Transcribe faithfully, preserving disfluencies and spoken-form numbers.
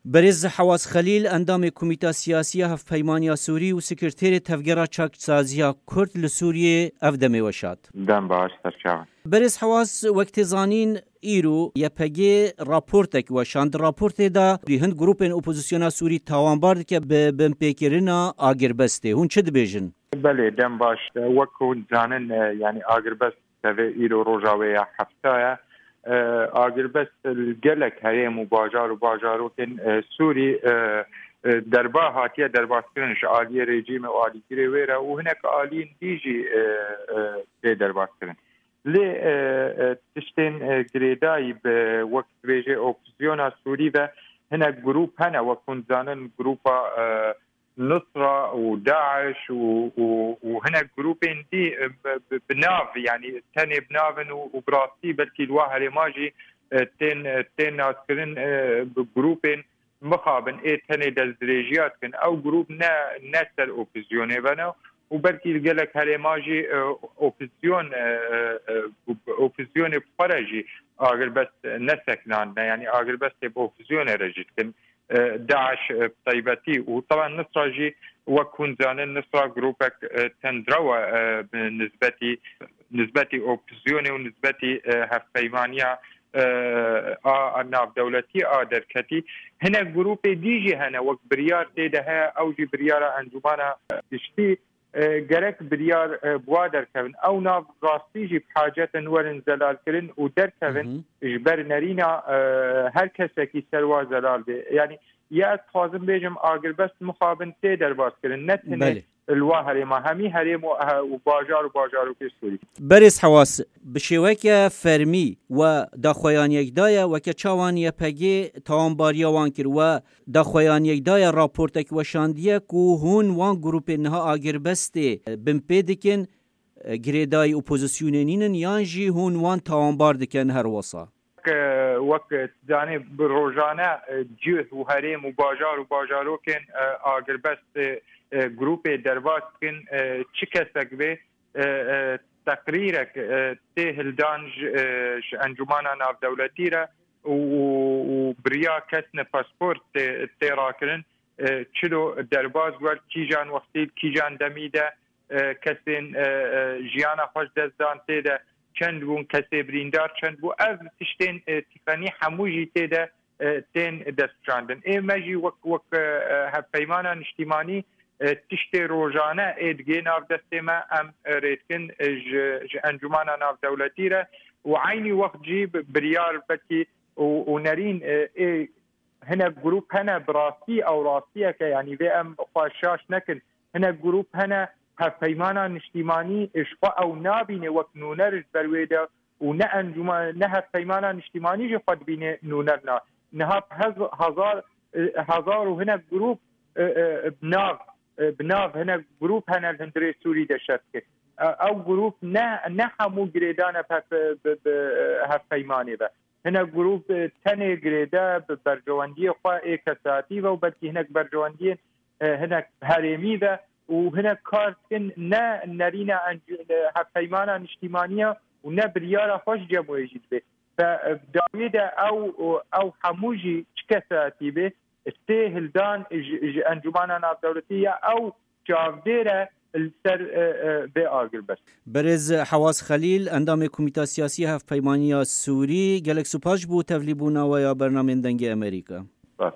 Berêz Hewaz Xelîl, endamê Komîta Siyasî ya Hevpeymaniya Sûrî û Sekreterê Tevgera Çaksaziya Kurd li Sûriyê, ev demê we şad. Dem baş, serçavan. Berêz Hewaz, wek tê zanîn, îro Y P G raportek weşand. Di raportê de hin grûpên opozisyona Sûrî tawanbar dike bi binpêkirina agirbestê. Hûn çi dibêjin? Belê, dem baş. Wek hûn dizanin, e, yanî agirbest tevê îro roja wê ya hefta ye. E, agirbest li gelek herêm û bajar û bajarokên, e, Sûrî, e, e, derba hatiye derbaskirin ji aliyê rejîmê û alîgirê wê re û hinek aliyên dî jî, e, e, tê derbaskirin. Lê, e, e, tiştên, e, girêdayî bi wek dibêje opozisyona Sûrî ve hinek grûp hene, wek hûn dizanin grûpa, e, Nusra û DAIŞ û, û, û hinek grûpên dî, e, bi, bi, bi nav, yanî tenê bi nav in û, û bi rastî belkî li wa herêma jî, e, tên, e, tên naskirin, e, bi grûpên mixabin ê tenê destdirêjiya dikin. Ew grûp ne, ne ser opozîsyonê ve ne û belkî li gelek herêma jî, e, opozîsyon, e, e, e, opozîsyonê bi xwe re jî agirbest nesekinandine, yanî agirbestê bi opozîsyonê re jî dikin. E, DAIŞ, e, bi taybetî û taban Nusra jî wek hûn zanin, Nusra grûpek, e, tundrew e, e, bi nisbetî, nisbetî opozîsyonê û nisbetî, e, hevpeymaniya, e, a, a navdewletî a derketî. Hinek grûpê dî jî hene, wek biryar tê de heye, ew jî biryara Encûmana Giştî, e, gerek biryar, e, bi wa derkevin. Ew nav rastî jî bi hacet in werin zelalkirin û derkevin Hı hı. ji ber nerîna, e, her kesekî ser wa zelal bê. Yanî ya ez dixwazim bêjim, agirbest mixabin tê derbas kirin. Ne tenê Belê. li wa herêma, hemî herêm û, e, û bajar û bajarokê Sûrî. Berêz Hewas, bi şêweke fermî we daxuyan yek daye, weke çawan Y P G tawanbariya wan kir, we daxuyan yek daye raportek weşandiye ku hûn wan grûpên niha agirbestê, e, binpê dikin, e, girêdayî opozisyonê nînin yan jî hûn wan tawanbar dikin her wesa? Wek, wek zanê bi rojane, e, cih û herêm û bajar û bajarokên, e, agirbest, e, e, grûpê derbas dikin, e, çi kesek bê, e, e, teqrîrek, e, tê hildan ji, e, ji Encûmana Navdewletî re û, û, û biriya kesne pasport tê, tê rakirin, e, çilo derbas wer kîjan wextî, kîjan demî de, e, kesên, e, e, jiyana xwe ji dest dan tê de çend bûn, kesê birîndar çend bû. Ev tiştên, e, tîqenî hemû jî tê de, e, tên destşandin. Ê me jî wek, wek, e, e, hevpeymana niştîmanî, e, tiştê rojane ê digê nav destê me em, e, rê dikin, e, ji, ji Encûmana Navdewletî re û eynî wext jî bi-, biryar belkî û, û nerîn, e, ê hinek grûp hene bi rastî ew rastiyeke, yanî vê em xwe şaş nekin. Hinek grûp hene hevpeymana niştîmanî ji xwe ew nabîne wek nûner ji ber wê de û ne encûman, ne hevpeymana niştîmanî jî xwe dibîne nûner na. Niha hez-, hezar, e, hezar û hinek grûp, e, e, bi nav, e, bi nav hinek grûp hene li hundirê Sûrî de şer dike. E, ew grûp ne, ne hemû girêdane bi, bi, bi, e, hevpeymanê ve. Hinek grûp, e, tenê girêde bi berjewendiyê xwe ê kesatî ve û belkî hinek berjewendiyên, e, hinek herêmî ve û hinek kar dikin ne nerîna enc-, e, hevpeymana niştîmaniya û ne biryara xwe ji cem wê jî dibe. Ve, e, dawiyê de ew, ew hemû jî çi kesatî be, tê hildan ji, ji Encûmana Navdewletî ya ew çavdêr e li ser, e, e, vê agirbest. Berêz Hewaz Xelîl, endamê Komîta Siyasî ya Hevpeymaniya Sûrî, gelek spas ji bo tevlîbûna we ya bernamên Dengê Amerîka. Spas.